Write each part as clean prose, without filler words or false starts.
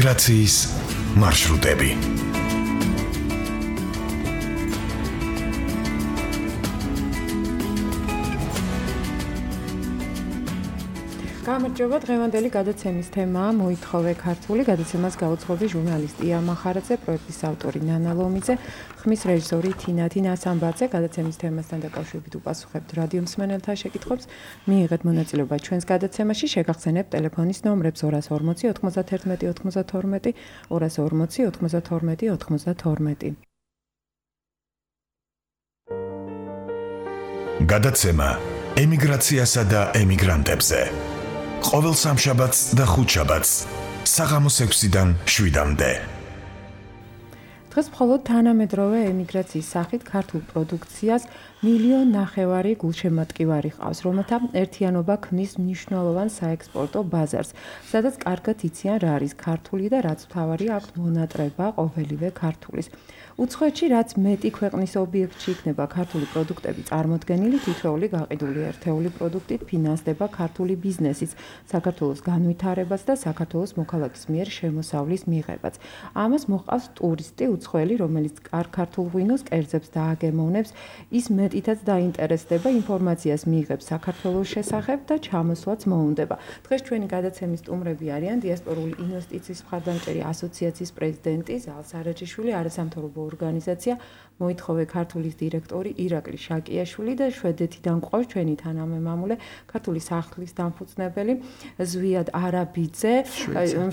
ემიგრაციის მარშრუტები. გამარჯობა, დღევანდელი გადაცემის თემაა მოითხოვე ქართული. გადაცემას გაუძღობი ჟურნალისტი ია მახარაძე, პროექტის ავტორი ნანა ლომიძე, ხმის რეჟისორი თინა სამბაძე. გადაცემის თემასთან დაკავშირებით უპასუხებთ რადიო მსმენელთა შეკითხვებს. მიიღეთ მონაწილეობა ჩვენს გადაცემაში, შეგახსენებთ ტელეფონის ნომრებს 240 91 92, 240 92 92. გადაცემა ემიგრაციასა და ემიგრანტებზე. ყოველ სამშაბათს და ხუთშაბათს საღამოს 6-დან 7-მდე. დღეს მხოლოდ თანამედროვე ემიგრაციის სახით ქართულ პროდუქციას 1,5 მილიონი გულშემატკივარი ყავს, რომელთა ერთიანობა ქმნის მნიშვნელოვან საექსპორტო ბაზარს, სადაც კარგად იციან რა არის ქართული და რაც მთავარია აქვთ მონატრება ყოველივე ქართულის. უცხოეთში რაც მეტი ქვეყნის ობიექტში იქნება ქართული პროდუქტები წარმოდგენილი, თითოეული გაყიდული ერთეული პროდუქტით ფინანსდება ქართული ბიზნესიც, საქართველოს განვითარებას და საქართველოს მოქალაქის მიერ შემოსავლის მიღებაც. ამას მოჰყავს ტურისტი უცხოელი, რომელიც კარგ ქართულ ღვინოს კერძებს დააგემოვნებს, ის მეტითაც დაინტერესდება, ინფორმაციას მიიღებს საქართველოს შესახებ და ჩამოსვლაც მოუნდება. დღეს ჩვენი გადაცემის სტუმრები არიან დიასპორული ინვესტიციის მხარდამჭერი ასოციაციის პრეზიდენტი ზალ სარაჯიშვილი, არასამთავრობო ორგანიზაცია მოითხოვე ქართულის დირექტორი ირაკლი შაკიაშვილი და შვედეთიდან გვყავს ჩვენი თანამემამულე ქართული სახლის დამფუძნებელი ზვიად არაბიძე,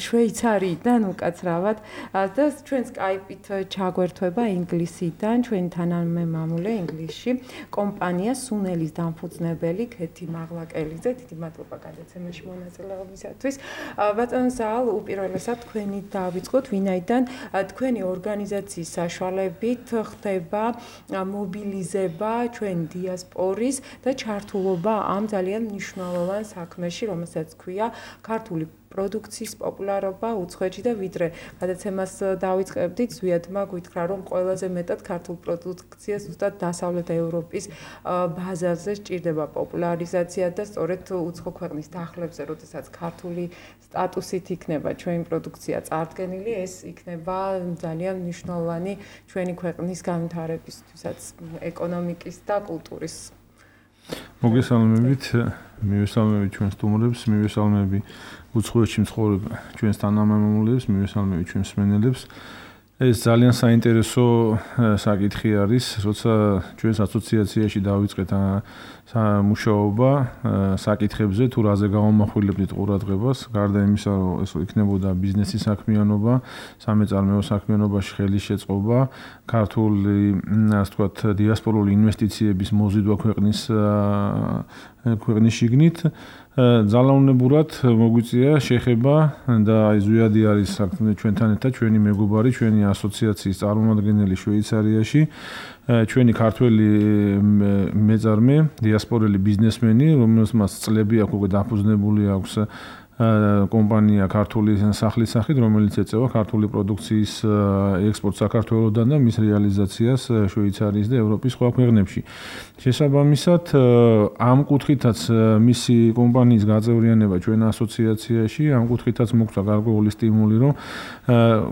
შვეიცარიიდან უკაცრავად და ჩვენ სკაიპით ჩაგვერთვება ინგლისიდან ჩვენი თანამემამულე ინგლისში კომპანია სუნელის დამფუძნებელი ქეთი მაღლაკელიძე. დიდი მადლობა გადაცემაში მონაწილეობისათვის. ბატონ ზალ, უპირველესად თქვენით დავიწყოთ, ვინაიდან თქვენი ორგანიზაციის საშუალებით ხდება მობილიზება ჩვენი დიასპორის და ჩართულობა ამ ძალიან მნიშვნელოვან საქმეში, რომელსაც ქვია ქართული პროდუქციის პოპულარობა უცხოეთში და ვიდრე გადაცემას დავიწყებდით, ზვიადმა გითხრა, რომ ყველაზე მეტად ქართულ პროდუქციას ზუსტად დასავლეთ ევროპის ბაზარზე სჭირდება პოპულარიზაცია და სწორედ უცხო ქვეყნის დახლებზე, როდესაც ქართული სტატუსით იქნება ჩვენი პროდუქცია წარდგენილი, ეს იქნება ძალიან მნიშვნელოვანი ჩვენი ქვეყნის განვითარებისთვისაც, ეკონომიკის და კულტურის. მოგესალმებით, მივესალმებით ჩვენ სტუმრებს, მივესალმები უცხოეთში მცხოვრებ ჩვენს თანამემამულეებს, მივესალმებით ჩვენ მსმენელებს. ეს ძალიან საინტერესო საკითხი არის, როცა ჩვენს ასოციაციაში დავიწყეთ მუშაობა საკითხებზე, თუ რაზე გავამახვილებდით ყურადღებას, გარდა იმისა, რომ ეს იქნებოდა ბიზნესის საქმიანობა, სამეწარმეო საქმიანობაში ხელის შეწყობა, ქართული, ასე ვთქვათ, დიასპორული ინვესტიციების მოზიდვა ქვეყნის შიგნით. ძალაუნებურად მოგვიწია შეხება და აი ზვიადი არის ჩვენთან ერთად, ჩვენი მეგობარი, ჩვენი ასოციაციის წარმომადგენელი შვეიცარიაში, ჩვენი ქართველი მეწარმე, დიასპორელი ბიზნესმენი, რომელსაც წლები აქვს უკვე დაფუძნებული აქვს კომპანია ქართული სახლის სახით, რომელიც ეწევა ქართული პროდუქციის ექსპორტს საქართველოსთან და მის რეალიზაციას შვეიცარიის და ევროპის სხვა ქვეყნებში. შესაბამისად, ამ კუთხითაც მისი კომპანიის გაწევრიანება ჩვენ ასოციაციაში, ამ კუთხითაც მოგვცა გარკვეული სტიმული, რომ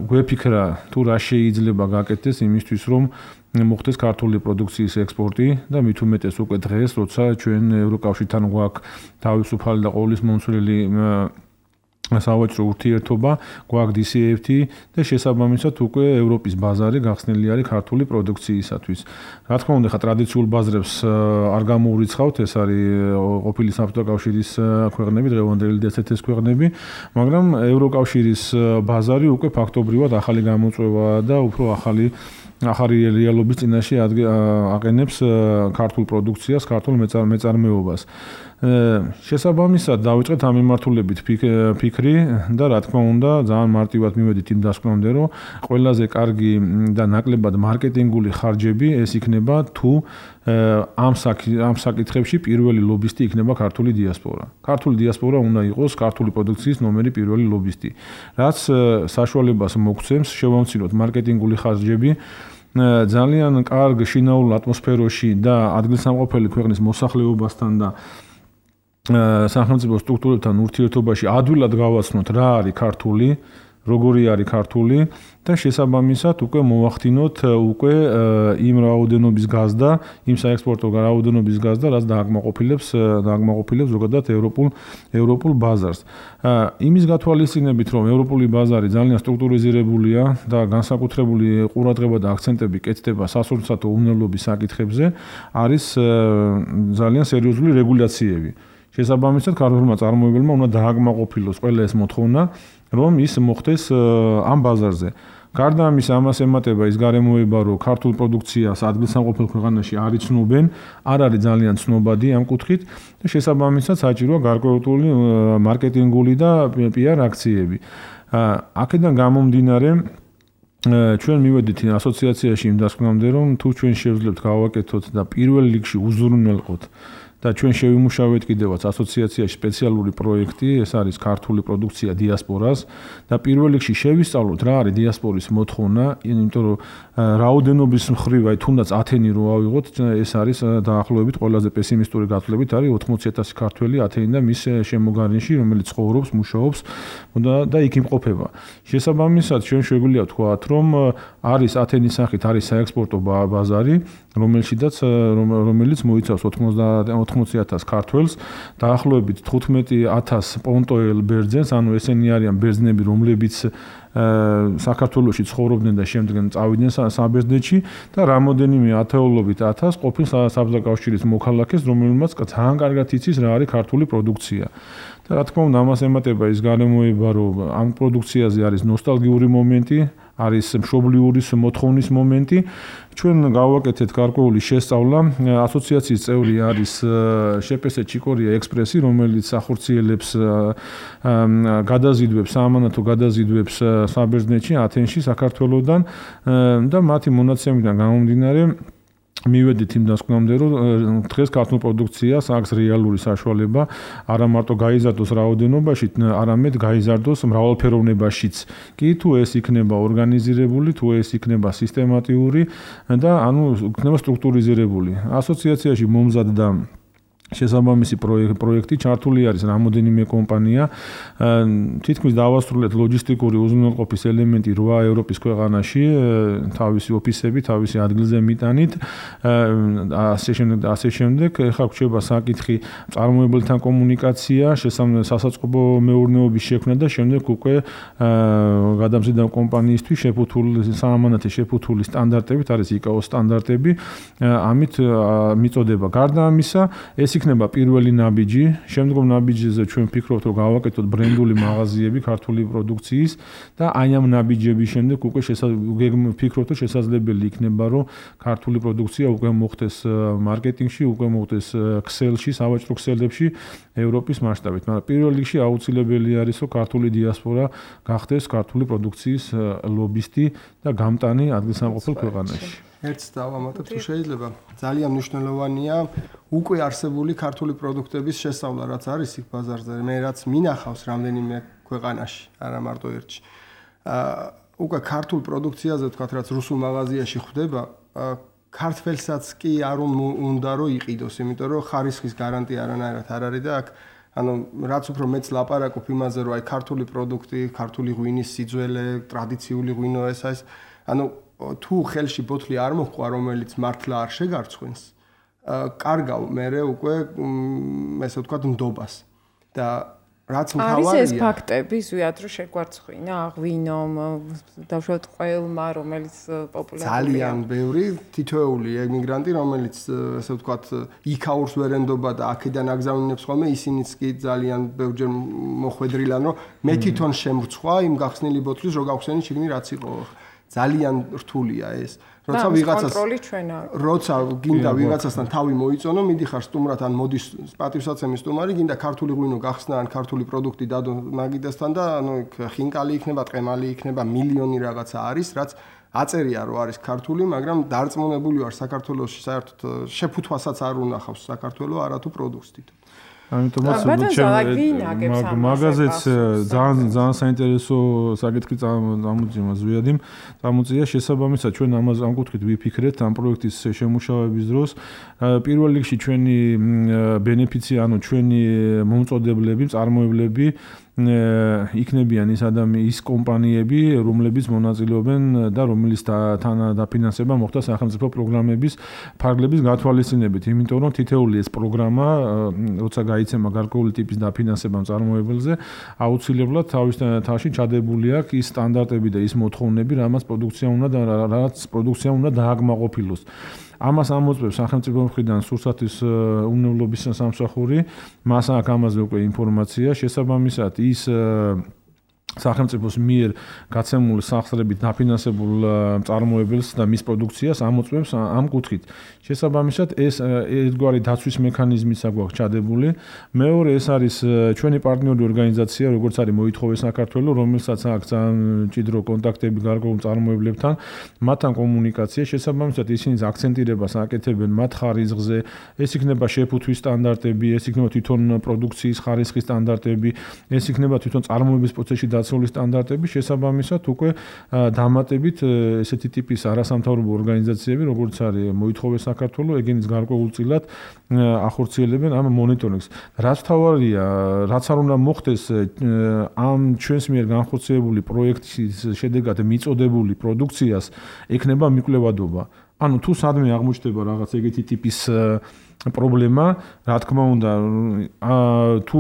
გვეფიქრა თუ რა შეიძლება გაკეთდეს იმისთვის, რომ მოხდეს ქართული პროდუქციის ექსპორტი და მით უმეტეს უკვე დღეს, როცა ჩვენ ევროკავშირთან გვაქვს თავისუფალი და ყოვლის მომცველი სავაჭრო ურთიერთობა, გვაქვს DCFT და შესაბამისად უკვე ევროპის ბაზარი გახსნილი არის ქართული პროდუქციისათვის. რა თქმა უნდა, ხა ტრადიციულ ბაზრებს არ გამოურიცხავთ, ეს არის ყოფილი საბჭოთა კავშირის ქვეყნები, დღევანდელი DCFT-ის ქვეყნები, მაგრამ ევროკავშირის ბაზარი უკვე ფაქტობრივად ახალი გამოწვევა და უფრო ახალი რეალობის წინაშე აყენებს ქართულ პროდუქციას, ქართულ მეწარმეობას. შესაბამისად დავიწყეთ ამ მიმართულებით ფიქრი და რა თქმა უნდა ძალიან მარტივად მივედით იმ დასკვნამდე, რომ ყველაზე კარგი და ნაკლებად მარკეტინგული ხარჯები ეს იქნება თუ ამ საკითხებში პირველი ლობისტი იქნება ქართული დიასპორა. ქართული დიასპორა უნდა იყოს ქართული პროდუქციის ნომერი პირველი ლობისტი. რაც საშუალებას მოგცემს შევამციროთ მარკეტინგული ხარჯები ძალიან კარგ შინაურ ატმოსფეროში და ადგილსამყოფელი ქვეყნის მოსახლეობასთან და სახელმწიფო სტრუქტურებთან ურთიერთობაში ადვილად გავაცნოთ რა არის ქართული როგორი არის ქართული და შესაბამისად უკვე მოვახდინოთ უკვე იმ რაოდენობის გაზდა, იმ საექსპორტო რაოდენობის გაზდა, რაც დააკმაყოფილებს ზოგადად ევროპულ ბაზარს. იმის გათვალისწინებით, რომ ევროპული ბაზარი ძალიან სტრუქტურიზირებულია და განსაკუთრებული ყურადღება და აქცენტები კეთდება სასურსათო უმნელობის საკითხებზე, არის ძალიან სერიოზული რეგულაციები. შესაბამისად, ქართულმა წარმოებელმა უნდა დააკმაყოფილოს ყველა ეს მოთხოვნა, რომ ის მოხდეს ამ ბაზარზე. გარდა ამისა, ამას ემატება ის გარემოება, რომ ქართულ პროდუქციას ადგილსამყოფელ ქვეყანაში არ იცნობენ, არ არის ძალიან ცნობადი ამ კუთხით და შესაბამისად საჭიროა გარკვეული მარკეტინგული და PR აქციები. აქედან გამომდინარე, ჩვენ მივედით ასოციაციაში იმ დასკვნამდე, რომ თუ ჩვენ შევძლებთ გავაკეთოთ და პირველ რიგში უზრუნველყოთ და ჩვენ შევიმუშავეთ კიდევაც ასოციაციაში სპეციალური პროექტი, ეს არის ქართული პროდუქცია დიასპორას და პირველ რიგში შევისწავლოთ რა არის დიასპორის მოთხოვნა, იმიტომ რომ რაოდენობის მხრივ აი თუნდაც ათენი რო ავიღოთ, ეს არის დაახლოებით ყველაზე პესიმისტური გათვლებით არის 80,000 ქართველი ათენი და მის შემოგარენში, რომელიც ცხოვრობს, მუშაობს და იქ იმყოფება. შესაბამისად, ჩვენ შეგვიძლია ვთქვათ, რომ არის ათენის სახით არის საექსპორტო ბაზარი, რომელიც მოიცავს 80,000 ქართველს, დაახლოებით 15,000 პონტოელ ბერძენს, ანუ ესენი არიან ბერძნები, რომლებიც საქართველოში ცხოვრობდნენ და შემდეგ წავიდნენ საბერძნეთში და რამოდენიმე ათეულობით 1000 ყოფილ საბჭოთა კავშირის მოქალაქეს, რომელმაც ძალიან კარგად იცის რა არის ქართული პროდუქცია. და რა თქმა უნდა, ამას ემატება ის გარემოება, რომ ამ პროდუქციაზე არის ნოსტალგიური მომენტი, არის მშობლიური მოთხოვნის მომენტი. ჩვენ გავაკეთეთ გარკვეული შესწავლა. ასოციაციის წევრი არის შპს ჩიკორია ექსპრესი, რომელიც ახორციელებს გადაზიდვებს, საამანათო გადაზიდვებს საბერძნეთში, ათენში, საქართველოსდან და მათი მონაცემიდან გამომდინარე მივედით იმ დასკვნამდე, რომ დღეს ქართულ პროდუქციას აქვს რეალური საშუალება არა მარტო გაიზარდოს რაოდენობაში, არამედ გაიზარდოს მრავალფეროვნებაშიც. კი თუ ეს იქნება ორგანიზირებული, თუ ეს იქნება სისტემატიური და ანუ იქნება სტრუქტურიზირებული. ასოციაციაში მომზადდა შესაბამისი პროექტი, ჩართული არის რამოდენიმე კომპანია. თითქმის დავასრულეთ ლოჯისტიკური უზრუნველყოფის ელემენტი 8 ევროპის ქვეყანაში, თავისი ოფისები, თავისი ადგილზე მიტანით. ასე შემდეგ, ეხლა გვჭირდება საკითხი წარმოებელთან კომუნიკაცია, სასაწყობო მეურნეობის შექმნა და შემდეგ უკვე გადამზიდავ კომპანიისთვის საამანათი შეფუთული სტანდარტებით, არის ICAO სტანდარტები, ამით მიწოდება. გარდა ამისა, ეს იქნება პირველი ნაბიჯი, შემდგომ ნაბიჯზე ჩვენ ვფიქრობთ, რომ გავაკეთოთ ბრენდული მაღაზიები ქართული პროდუქციის და აი ამ ნაბიჯების შემდეგ უკვე ვფიქრობთ, რომ შესაძლებელი იქნება, რომ ქართული პროდუქცია უკვე მოხდეს მარკეტინგში, უკვე მოხდეს ქსელში, სავაჭრო ქსელებში ევროპის მასშტაბით. მაგრამ პირველ რიგში აუცილებელი არის, რომ ქართული დიასპორა გახდეს ქართული პროდუქციის ლობისტი და გამტანი ადგილსამყოფელ ქვეყანაში. ერთს დავამატებ, თუ შეიძლება. ძალიან მნიშვნელოვანია უკვე არსებული ქართული პროდუქტების შესწავლა, რაც არის იქ ბაზარზე, მე რაც მინახავს რამდენიმე ქვეყანაში, არა მარტო ერთში. უკვე ქართულ პროდუქციაზე ვთქვათ, რაც რუსულ მაღაზიაში ხვდება, ქართველსაც კი არ უნდა რომ იყიდოს, იმიტომ რომ ხარისხის გარანტია არანაირად არ არის და აქ ანუ რაც უფრო მეც ლაპარაკობ იმაზე, რომ აი ქართული პროდუქტი, ქართული ღვინის სიძველე, ტრადიციული ღვინო ეს ანუ თუ ხელში ბოთლი არ მოხდა, რომელიც მართლა არ შეგარცხვენს, კარგავ მე უკვე ესე ვთქვათ ნდობას და რაც მთავარია არის ეს ფაქტები, ზვიად რომ შეგვარცხვინა ღვინო, დავშოთ ყველმა, რომელიც პოპულარულია. ძალიან ბევრი თითოეული ემიგრანტი, რომელიც ესე ვთქვათ იქაურს ვერ ენდობა და აქედან აგზავნინებს ხოლმე, ისინიც კი ძალიან ბევრჯერ მოხვედრილან, რომ მე თვითონ შემრცხვა იმ გახსნილი ბოთლის, რო გავხსენი შიგნით რაც იყო. ძალიან რთულია ეს. როცა ვიღაცას კონტროლი ჩვენ აქვს. როცა გინდა ვიღაცასთან თავი მოიწონო, მიდიხარ სტუმრად ან მოდის პატივსაცემი სტუმარი, გინდა ქართული ღვინო გახსნა ან ქართული პროდუქტი დადო მაგიდასთან და ანუ ხინკალი იქნება, ტყემალი იქნება, მილიონი რაღაცა არის, რაც აწერია რომ არის ქართული, მაგრამ დარწმუნებული ვარ საქართველოში საერთოდ შეფუთვასაც არ უნახავს საქართველო არათუ პროდუქტს თვითონ. ამიტომაც მაგაზეც ძალიან საინტერესო საკითხი წამოწია შესაბამისად ჩვენ ამას ამ კუთხით ვიფიქრეთ ამ პროექტის შემუშავების დროს პირველ რიგში ჩვენი ბენეფიცი ანუ ჩვენი მომწოდებლები, წარმოებლები იქნებიან ის კომპანიები, რომლებიც მონაწილეობენ და რომელიც თან დაფინანსება მოხდა სახელმწიფო პროგრამების ფარგლების გათვალისწინებით, იმიტომ რომ თითეული ეს პროგრამა, როცა გაიცემა გარკვეული ტიპის დაფინანსება მწარმოებელზე, აუცილებლად თავის თავში ჩადებული აქვს ის სტანდარტები და ის მოთხოვნები, რაც პროდუქცია უნდა დააკმაყოფილოს. ამას ამოწმებს სახელმწიფო მხრიდან სურსათის უნებლობის სამსახური, მას აქვს ამაზე უკვე ინფორმაცია, შესაბამისად ის სახელმწიფოს მიერ გაცემული სახსრებით დაფინანსებულ მწარმოებელს და მის პროდუქციას ამოწმებს ამ კუთხით. შესაბამისად ეს ერთგვარი დაცვის მექანიზმიც აქვს ჩადებული. მეორე ეს არის ჩვენი პარტნიორი ორგანიზაცია, როგორც არის მოითხოვე საქართველო, რომელსაც აქვს ძალიან მჭიდრო კონტაქტები გარკვეულ მწარმოებლებთან, მათთან კომუნიკაცია. შესაბამისად ისინი აქცენტირებას აკეთებენ მათ ხარისხზე, ეს იქნება შეფუთვის სტანდარტები, ეს იქნება თვითონ პროდუქციის ხარისხის სტანდარტები, ეს იქნება თვითონ წარმოების პროცესში დაცული სტანდარტები, შესაბამისად უკვე დამატებით ესეთი ტიპის არასამთავრობო ორგანიზაციები, როგორც არის მოითხოვე საქართველო, ეგენის გარკვეულწილად ახორციელებენ ამ მონიტორინგს. რაც თავარია, რაც არ უნდა მოხდეს ამ ჩვენს მიერ განხორციელებული პროექტის შედეგად მიწოდებული პროდუქციას ექნება მიკვლევადობა. ანუ თუ სადმე აღმოჩნდება რაღაც ეგეთი ტიპის პრობლემა, რა თქმა უნდა, თუ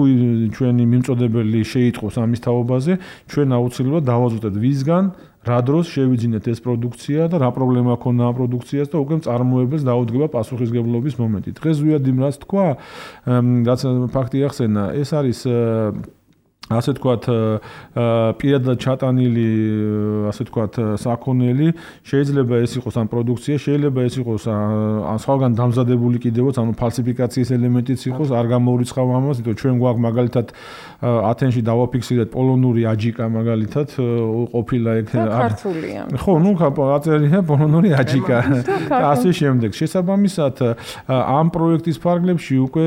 ჩვენი მიმწოდებელი შეიტყოს ამის თაობაზე, ჩვენ აუცილებლად დავაზუსტებთ ვისგან, რა დროს შევიძინეთ ეს პროდუქცია და რა პრობლემა ქონდა ამ პროდუქციას და უკვე მწარმოებელს დაუდგება პასუხისმგებლობის მომენტი. დღეს ზვიადიმ რაც თქვა, რაც ფაქტი ახსენა, ეს არის ასე თქვათ პირადად ჩატანილი ასე თქვათ საქონელი, შეიძლება ეს იყოს ამ პროდუქცია, შეიძლება ეს იყოს სხვაგან დამზადებული კიდევაც, ანუ ფალსიფიკაციის ელემენტიც იყოს, არ გამოურიცხავ ამას, იმიტომ ჩვენ გვაქვს მაგალითად ათენში დავაფიქსირეთ პოლონური აჯიკა მაგალითად ყოფილა ეგ ქართულია. ხო, ნუ აწერია პოლონური აჯიკა და ასე შემდეგ. შესაბამისად ამ პროექტის ფარგლებში უკვე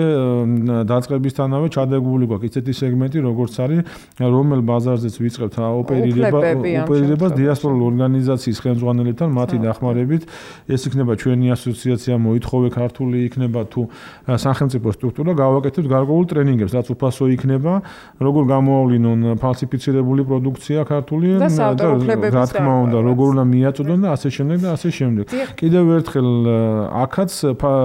დაწყებისთანავე ჩადებული გვაქვს ისეთი სეგმენტი, როგორც არის რომელ ბაზარზეც ვიწყებთ ოპერირებას დიასპორულ ორგანიზაციის ხელმძღვანელებთან მათი დახმარებით. ეს იქნება ჩვენი ასოციაცია მოითხოვე ქართული, იქნება თუ სახელმწიფო სტრუქტურა, გავაკეთებთ გარკვეულ ტრენინგებს, რაც უფასო იქნება, როგორ გამოავლინონ ფალსიფიცირებული პროდუქცია ქართული და რა თქმა უნდა, როგორ უნდა მიაწოდონ და ასე შემდეგ და ასე შემდეგ. კიდევ ერთხელ აქაც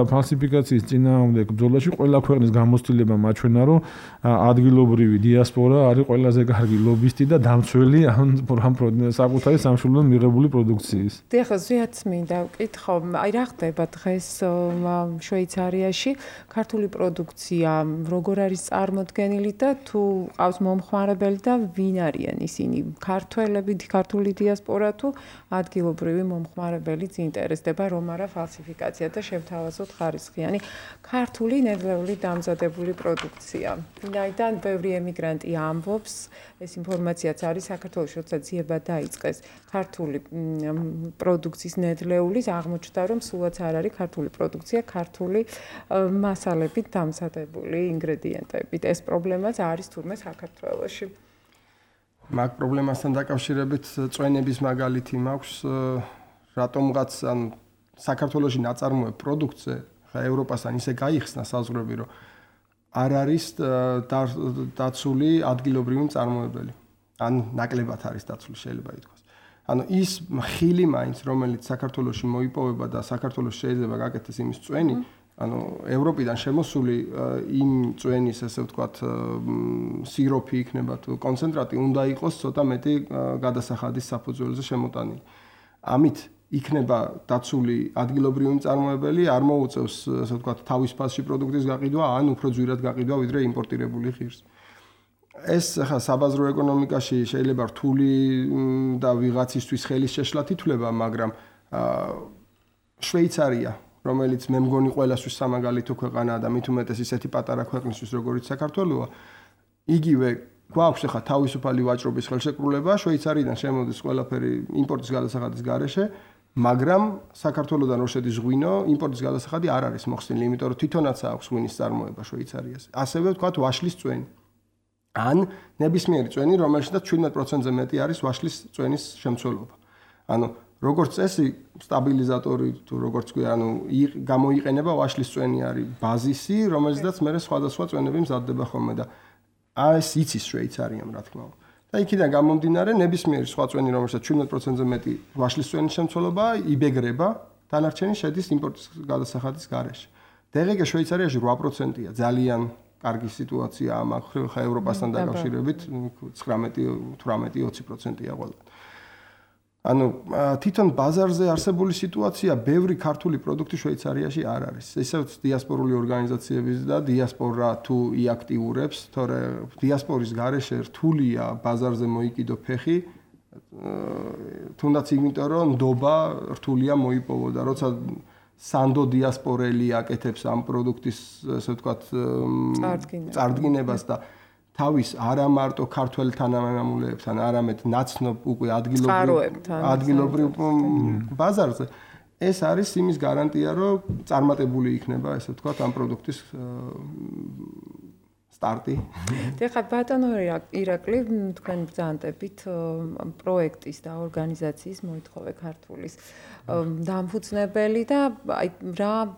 ფალსიფიკაციის წინააღმდეგ ბრძოლაში ყველა ქვეყნის გამოცდილება მაჩვენა, რომ ადგილობრივი დიასპორა არის ყველაზე კარგი ლობისტი და დამცველი ამ საკუთარი სამშობლოდან მიღებული პროდუქციის. დიახ, ზვიადს მინდა ვკითხო, აი რა ხდება დღეს შვეიცარიაში ქართული პროდუქცია როგორ არის წარმოდგენილი და თუ ყავს მომხმარებელი და ვინ არიან ისინი? ქართველები, ქართული დიასპორა თუ ადგილობრივი მომხმარებელიც ინტერესდება, რომ არა ფალსიფიკაცია და შევთავაზოთ ხარისხიანი ქართული ნედლეული დამზადებული პროდუქცია. ვინაიდან ბევრი ემიგრანტი ამბობს, ეს ინფორმაციაც არის საქართველოს, როცა ძიება დაიწყეს ქართული პროდუქციის ნედლეულის, აღმოჩნდა, რომ სულაც არ არის ქართული პროდუქცია, ქართული მასალებით დამზადებული ინგრედიენტებით. ეს პრობლემაც არის თურმე საქართველოში. მაგ პრობლემასთან დაკავშირებით წვენების მაგალითი მაქვს, რატომღაც ან საქართველოში ნაწარმოებ პროდუქტზე, ხა ევროპასთან ისე გაიხსნა საზღვრები, რომ არ არის დაცული ადგილობრივი მწარმოებელი. ან ნაკლებად არის დაცული, შეიძლება ითქვას. ანუ ის ხილი მაინც, რომელიც საქართველოში მოიპოვება და საქართველოს შეიძლება გაკეთდეს იმის წვენი, ანუ ევროპიდან შემოსული იმ წვენის, ესე ვთქვათ, სიროფი იქნება თუ კონცენტრატი უნდა იყოს ცოტა მეტი გადასახადის საფუძველზე შემოტანილი. ამით იქნება დაცული ადგილობრივი მწარმოებელი, არ მოუწევს, ასე ვთქვათ, თავის ფასში პროდუქტის გაყიდვა, ან უფრო ძვირად გაყიდვა, ვიდრე იმპორტირებული ღირს. ეს ახლა საბაზრო ეკონომიკაში შეიძლება რთული და ვიღაცისთვის ხელის შეშლად ითვლება, მაგრამ შვეიცარია, რომელიც მე მგონი ყველასთვის სამაგალითო ქვეყანაა და მით უმეტეს ისეთი პატარა ქვეყნისთვის, როგორიც საქართველოა, იგივე გვაქვს ახლა თავისუფალი ვაჭრობის ხელშეკრულება, შვეიცარიიდან შემოდის ყველაფერი იმპორტის გადასახადის გარეშე, მაგრამ საქართველოსთან რო შედის ღვინო, იმპორტის გადასახადი არ არის მოხსნილი, იმიტომ რომ თვითონაც აქვს ღვინის წარმოება შვეიცარიას. ასევე ვთქვათ ვაშლის წვენი. ან ნებისმიერი წვენი, რომელშიც 17%-ზე მეტი არის ვაშლის წვენის შემცველობა. ანუ როგორც წესი, სტაბილიზატორი თუ როგორც ქვია, ანუ გამოიყენება ვაშლის წვენი არის ბაზისი, რომელზედაც მე სხვადასხვა წვენები მზადდება ხოლმე და ეს იცის შვეიცარიამ რა თქმა უნდა. და იქიდან გამომდინარე ნებისმიერი სხვა წვენი რომელსაც 17%-ზე მეტი ვაშლის წვენის შემცველობაა იბეგრება, დანარჩენი შედის იმპორტის გადასახადის გარეშე. დღეს შვეიცარიაში 8%-ია, ძალიან კარგი სიტუაცია ამ ხა ევროპასთან დაკავშირებით 19-18-20%-ია ყველა. ანუ თვითონ ბაზარზე არსებული სიტუაცია ბევრი ქართული პროდუქტი შვეიცარიაში არ არის. ესეც დიასპორული ორგანიზაციების და დიასპორა თუ იაქტიურებს, თორე დიასპორის გარეშე რთულია ბაზარზე მოიკიდო ფეხი, თუნდაც იმიტომ რომ ნდობა რთულია მოიპოვო და როცა სანდო დიასპორელი აკეთებს ამ პროდუქტის, ასე ვთქვათ, წარდგინებას და თავის არა მარტო ქართველ თანამემამულეებთან, არამედ ნაცნობ უკვე ადგილობრივ ბაზარზე ეს არის იმის გარანტია, რომ წარმატებული იქნება, ასე ვთქვათ, ამ პროდუქტის სტარტი. ეხლა ბატონო ირაკლი, თქვენ ბრძანებით პროექტის და ორგანიზაციის მოითხოვე ქართულის დამფუძნებელი და აი რა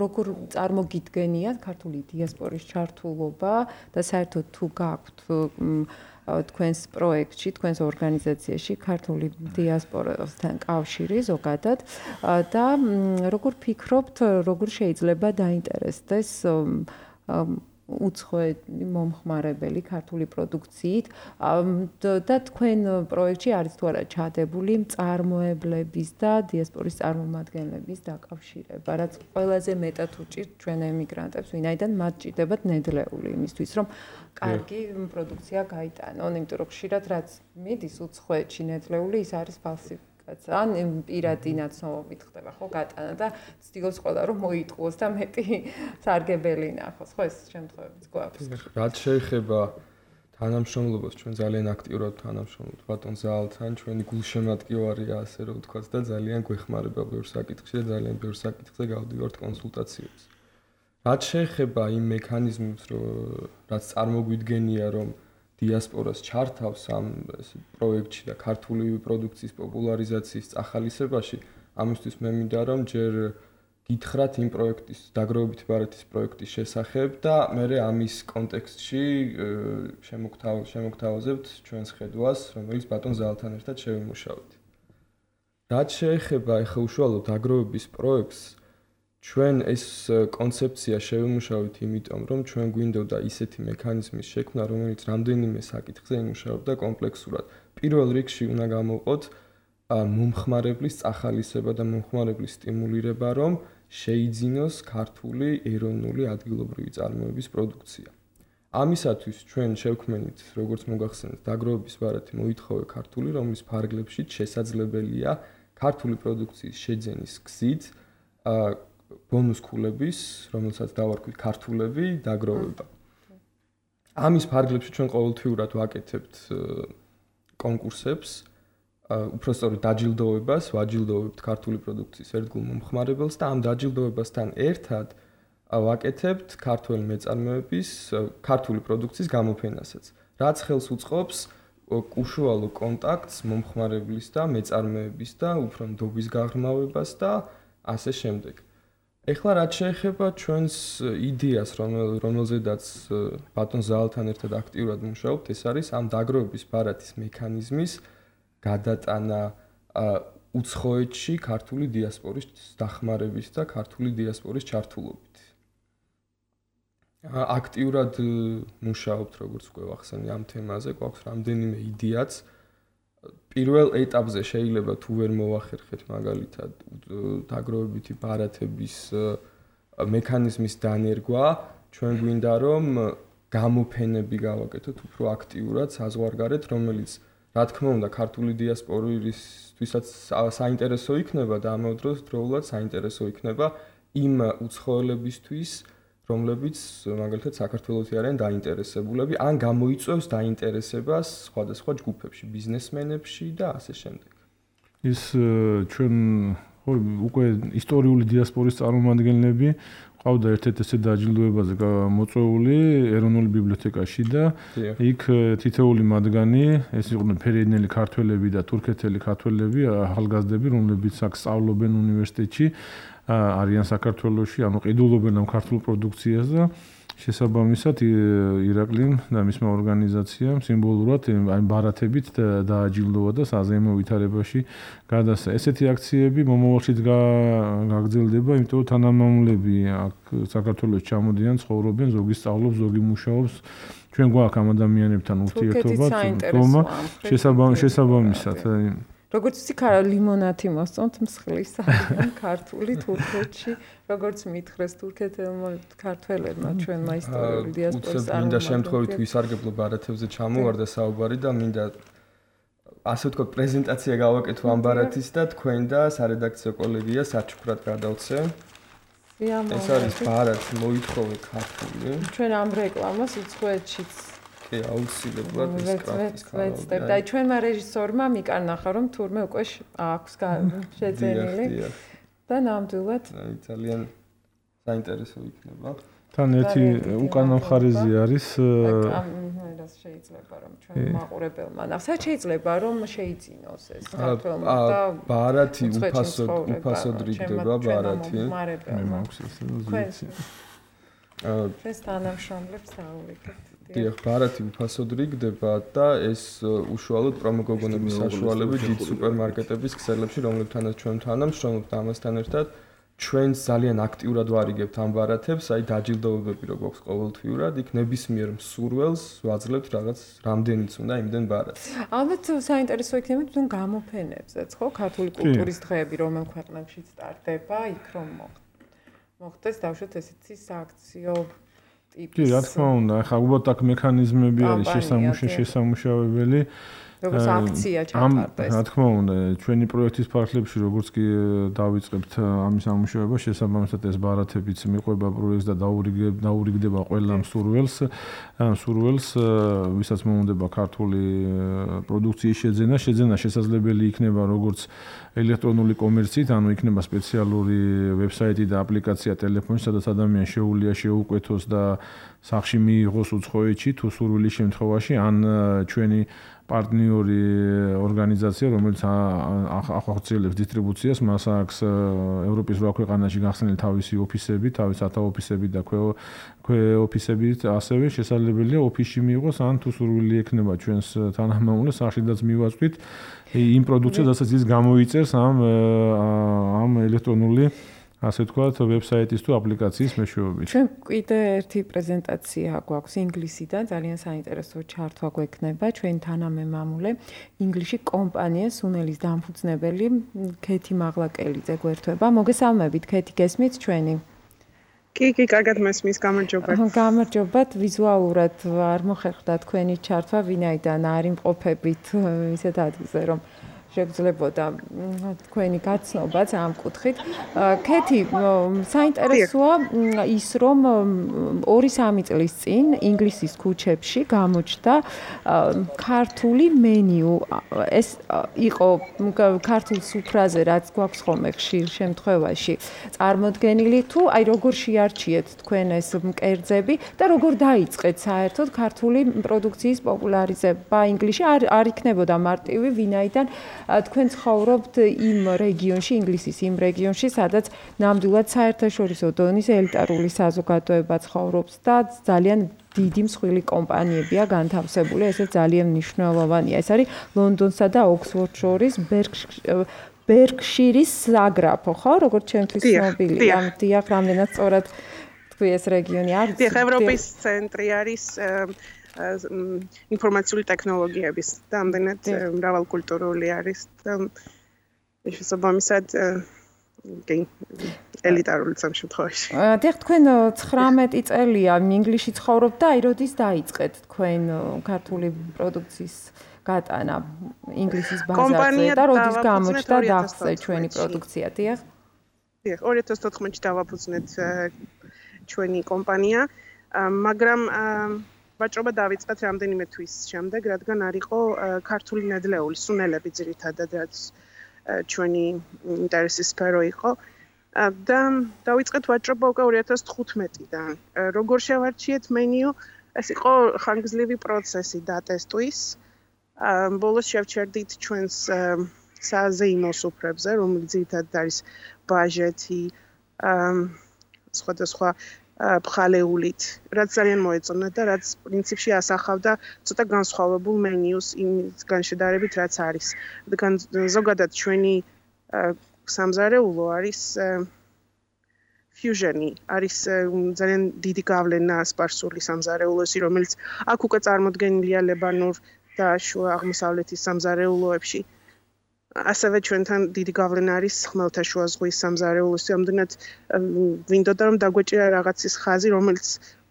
როგორ წარმოგიდგენიათ ქართული დიასპორის ჩართულობა და საერთოდ თუ გაქვთ თქვენს პროექტში, თქვენს ორგანიზაციაში ქართული დიასპორასთან კავშირი ზოგადად და როგორ ფიქრობთ, როგორ შეიძლება დაინტერესდეს უცხოელი მომხმარებელი ქართული პროდუქციით და თქვენ პროექტში არის თუ არა ჩადებული მწარმოებლების და დიასპორის წარმომადგენლების დაკავშირება, რაც ყველაზე მეტად უჭირთ ჩვენ ემიგრანტებს, ვინაიდან მათ ჭირდებათ ნედლეული იმისთვის, რომ კარგი პროდუქცია გაიტანონ, იმიტომ რომ ხშირად რაც მიდის უცხოეთში ნედლეული, ის არის ფალსიფიკაცია. ან პირადი ნაცნობობით ხდება ხო გატანა და ცდილობს ყველა რომ მოიტყუოს და მეტი სარგებელი ნახოს ხო ეს შემთხვევებიც გვაქვს. რაც შეეხება თანამშრომლობას ჩვენ ძალიან აქტიურად თანამშრომლობთ ბატონ ზაალთან, ჩვენი გულშემატკივარია ასე რომ ვთქვათ და ძალიან გვეხმარება ბევრ საკითხში და ძალიან ბევრ საკითხზე გავდივართ კონსულტაციებს. რაც შეეხება იმ მექანიზმებს რაც წარმოგვიდგენია რომ დიასპორას ჩართავს ამ პროექტში და ქართული პროდუქციის პოპულარიზაციის წახალისებაში, ამისთვის მე მინდა რომ ჯერ გითხრათ იმ პროექტის დაგროვებითი ბარათის პროექტის შესახებ და მე ამის კონტექსტში შემოგთავაზებთ ჩვენს ხედვას, რომელიც ბატონ ზაალთან ერთად შევიმუშავეთ. რაც შეეხება ახლა უშუალოდ დაგროვების პროექტს, ჩვენ ეს კონცეფცია შევიმუშავეთ იმიტომ, რომ ჩვენ გვინდოდა ისეთი მექანიზმის შექმნა, რომელიც რამდენიმე საკითხზე იმუშავებდა კომპლექსურად. პირველ რიგში უნდა გამოვყოთ მომხმარებლის წახალისება და მომხმარებლის სტიმულირება, რომ შეიძინოს ქართული ეროვნული ადგილობრივი წარმოების პროდუქცია. ამისათვის ჩვენ შევქმნით, როგორც მოგახსენეთ, დაგროვების ბარათი მოითხოვე ქართული, რომლის ფარგლებში შესაძლებელია ქართული პროდუქციის შეძენის გზით ბონუს ქულების, რომელსაც დავარქვით ქართულები, დაგროვება. ამის ფარგლებში ჩვენ ყოველთვიურად ვაკეთებთ კონკურსებს, უпростоროდ დაჯილდოებას, ვაჯილდოვებთ ქართული პროდუქციის ერთგულ მომხმარებელს და ამ დაჯილდოებასთან ერთად ვაკეთებთ ქართული მეწარმეების, ქართული პროდუქციის გამოფენასაც, რაც ხელს უწყობს უშუალო კონტაქტს მომხმარებლის და მეწარმეების და უფრო ნდობის გაღრმავებას და ასე შემდეგ. ეხლა რაც შეეხება ჩვენს იდეას, რომელზედაც ბატონ ზაალთან ერთად აქტიურად მუშაობთ, ეს არის ამ დაგროვების ბარათის მექანიზმის გადატანა უცხოეთში ქართული დიასპორის დახმარების და ქართული დიასპორის ჩართულობით. აქტიურად მუშაობთ, როგორც გვახსენე ამ თემაზე, გვაქვს რამდენიმე იდეაც. პირველ ეტაპზე შეიძლება თუ ვერ მოახერხეთ მაგალითად დაგროვებითი ბარათების მექანიზმის დანერგვა, ჩვენ გვინდა რომ გამოფენები გავაკეთოთ უფრო აქტიურად საზღვარგარეთ, რომელიც რა თქმა უნდა ქართული დიასპორისთვისაც საინტერესო იქნება და ამავდროულად საინტერესო იქნება იმ უცხოელებისთვის, რომლებიც მაგალითად საქართველოსი არიან დაინტერესებულები, ან გამოიწვევს დაინტერესებას სხვადასხვა ჯგუფებში, ბიზნესმენებში და ასე შემდეგ. ის ჩვენ უკვე ისტორიული დიასპორის წარმომადგენლები ყავდა ერთ-ერთ ესე დაჯილდოებაზე მოწვეული ეროვნული ბიბლიოთეკაში და იქ თითოეული მათგანი, ეს იყვნენ ფერენელი ქართველები და თურქეთელი ქართველები, ახალგაზრდები, რომლებიც აქ სწავლობენ უნივერსიტეტში, არიან საქართველოში, ანუ ყიდულობენ ამ ქართულ პროდუქციას და შესაბამისად ირაკლიმ და მისმა ორგანიზაციამ სიმბოლურად აი ბარათებით დააჯილდოვა და საზეიმო ვითარებაში გადასცა. ესეთი აქციები მომავალშიც გაგრძელდება, იმიტომ რომ თანამამულები აქ საქართველოს ჩამოდიან, ცხოვრობენ, ზოგი სწავლობს, ზოგი მუშაობს. ჩვენ გვაქვს ამ ადამიანებთან ურთიერთობა, თქმა შესაბამისად. როგორც ვიცი, ლიმონათი მოსწონთ მსხლის არის ქართული თურქეთში, როგორც მითხრეს თურქეთელმა ქართველებმა ჩვენმა ისტორიული დიასპორის წარმომადგენლებმა. მინდა შემთხვევით ვისარგებლო ბარათებზე ჩამოვარდა საუბარი და მინდა ასე ვთქვათ პრეზენტაცია გავაკეთო ამ ბარათის და თქვენ და სარედაქციო კოლეგია საჩუქრად გადავცე. ეს არის ბარათი მოითხოვე ქართული. ჩვენ ამ რეკლამას უცხოეთშიც კი, აუცილებლად ის კრაფტის ვეცდებ. და ჩვენმა რეჟისორმა მიკარნახა, რომ თურმე უკვე აქვს შეძენილი და ნამდვილად ძალიან საინტერესო იქნება. თან ერთი უკანა მხარეზე არის რას შეიძლება რომ ჩვენ მაყურებელმა ნახოთ, შეიძლება რომ შეიძინოს ეს საქართველოს და ბარათი უფასოდ რიგდება ბარათი. მე მაქვს ესე ზუსტი. ეს თანამშრომლებს დაუვიგებთ. დიახ, ბარათი უფასოდ რიგდება და ეს უშუალოდ პრომოგოგონების საშუალებით დიდ სუპერმარკეტების ქსელებში, რომლებთანაც ჩვენ თანამშრომლობთ ამასთან ერთად, ჩვენ ძალიან აქტიურად ვარიგებთ ამ ბარათებს, აი დაჯილდოებები რო გვაქვს ყოველთვიურად, იქ ნებისმიერ მსურველს ვაძლევთ რაღაც რამდენიც უნდა იმდენ ბარათს. ალბათ საინტერესო იქნება თვითონ გამოფენებზეც, ხო? ქართული კულტურის დღეები რომელ ქვეყნებშიც ტარდება, იქ რომ მოხდეს დავუშვათ ესეთი სააქციო კი, რა თქმა უნდა, ახლა უბრალოდ აქ მექანიზმები არის შესამუშავებელი. როგორც აქცია ჩატარდეს. რა თქმა უნდა, ჩვენი პროექტის ფარგლებში როგორც კი დავიწყებთ ამის ამუშავება, შესაბამისად ეს ბარათებიც მიყვება პროექტს და დაურიგდება ყველა მსურველს, ვისაც მოუნდება ქართული პროდუქციის შეძენა შესაძლებელი იქნება როგორც ელექტრონული კომერციით, ანუ იქნება სპეციალური ვებსაიტი და აპლიკაცია ტელეფონში, სადაც ადამიანს შეუძლია შეუკვეთოს და სახში მიიღოს უცხოეთში თუ სურვილის შემთხვევაში, ან ჩვენი პარტნიორი ორგანიზაცია, რომელიც ახორციელებს დისტრიბუციას, მას აქვს ევროპის 8 ქვეყანაში გახსნილი თავისი ოფისები, თავის ათაოფისები და ქვე ოფისები, ასევე შესაძლებელია ოფისში მიიღოს, ან თუ სურვილი ექნება ჩვენს თანამამულეს, სახშიდაც მივაწვით იმ პროდუქციას, რასაც ის გამოიწერს ამ ელექტრონული ასე ვთქვათ, ვებსაიტის თუ აპლიკაციის მეშვეობით. ჩვენ კიდე ერთი პრეზენტაცია გვაქვს ინგლისიდან, ძალიან საინტერესო ჩართვა გვექნება. ჩვენი თანამემამულე ინგლისში კომპანია სუნელის დამფუძნებელი ქეთი მაღლაკელიძე გვერდება. მოგესალმებით, ქეთი, გესმით ჩვენი? კი, კარგად მესმის, გამარჯობათ. გამარჯობათ, ვიზუალურად არ მოხერხდა თქვენი ჩართვა, ვინაიდან არ იმყოფებით ისეთ ადგილზე, რომ შეგძლებოდა თქვენი გაცნობაც ამ კუთხით. ქეთი, საინტერესოა ის, რომ 2-3 წლის წინ ინგლისის ქუჩებში გამოჩნდა ქართული მენიუ. ეს იყო ქართულ სუფრაზე, რაც გვაქვს ხოლმე ხშირ შემთხვევაში წარმოდგენილი, თუ აი როგორ შეარჩიეთ თქვენ ეს მკერձები და როგორ დაიწყეთ საერთოდ ქართული პროდუქციის პოპულარიზება ინგლისში? არ იქნებოდა მარტივი, ვინაიდან თქვენ ცხოვრობთ იმ რეგიონში, ინგლისის იმ რეგიონში, სადაც ნამდვილად საერთაშორისო დონის ელიტარული საზოგადოება ცხოვრობს და ძალიან დიდი მსხვილი კომპანიებია განთავსებული, ესე ძალიან მნიშვნელოვანია. ეს არის ლონდონსა და ოქსფორდს შორის ბერკშირის საგრაფო, ხო? როგორც ჩემთვის ცნობილია. დიახ, რამდენად სწორად თქვი ეს რეგიონი არის? დიახ, ევროპის ცენტრი არის ინფორმაციული ტექნოლოგიების და ამდენად მრავალკულტურული არის და შესაბამისად ელიტარული შემთხვევაში. დიახ, თქვენ 19 წელია ინგლისში ცხოვრობთ და აი როდის დაიწყეთ თქვენ ქართული პროდუქციის გატანა ინგლისის ბაზარზე და როდის გამოჩნდა დახსე ჩვენი პროდუქცია, დიახ? დიახ, 2014-ში დავაფუძნეთ ჩვენი კომპანია, მაგრამ ვაჭრობა დავიწყეთ რამდენიმე თვის შემდეგ, რადგან არ იყო ქართული ნედლეული, სუნელები ძირითადად, რაც ჩვენი ინტერესის სფერო იყო. და დავიწყეთ ვაჭრობა უკვე 2015-დან. როგორ შევარჩიეთ მენიუ? ეს იყო ხანგრძლივი პროცესი დატესტვის. ბოლოს შევჩერდით ჩვენს საზეიმო სუფრებზე, რომელიც ძირითადად არის ბაჟეთი, სხვადასხვა ბხალეულით, რაც ძალიან მოეწონა და რაც პრინციპში ასახავდა ცოტა განსხვავებულ მენიუს იმისგან შედარებით, რაც არის. რადგან ზოგადად ჩვენი სამზარეულო არის fusion-ი, არის ძალიან დიდი გავლენა სპარსული სამზარეულოსი, რომელიც აქ უკვე წარმოდგენილია ლებანურ და შუა აღმოსავლეთის სამზარეულოებში. ასევე ჩვენთან დიდი გავლენა არის ხმელთაშუა ზღვის სამზარეულოსი, ამდენად ვინდოდა რომ დაგვეჭირა რაღაცის ხაზი, რომელიც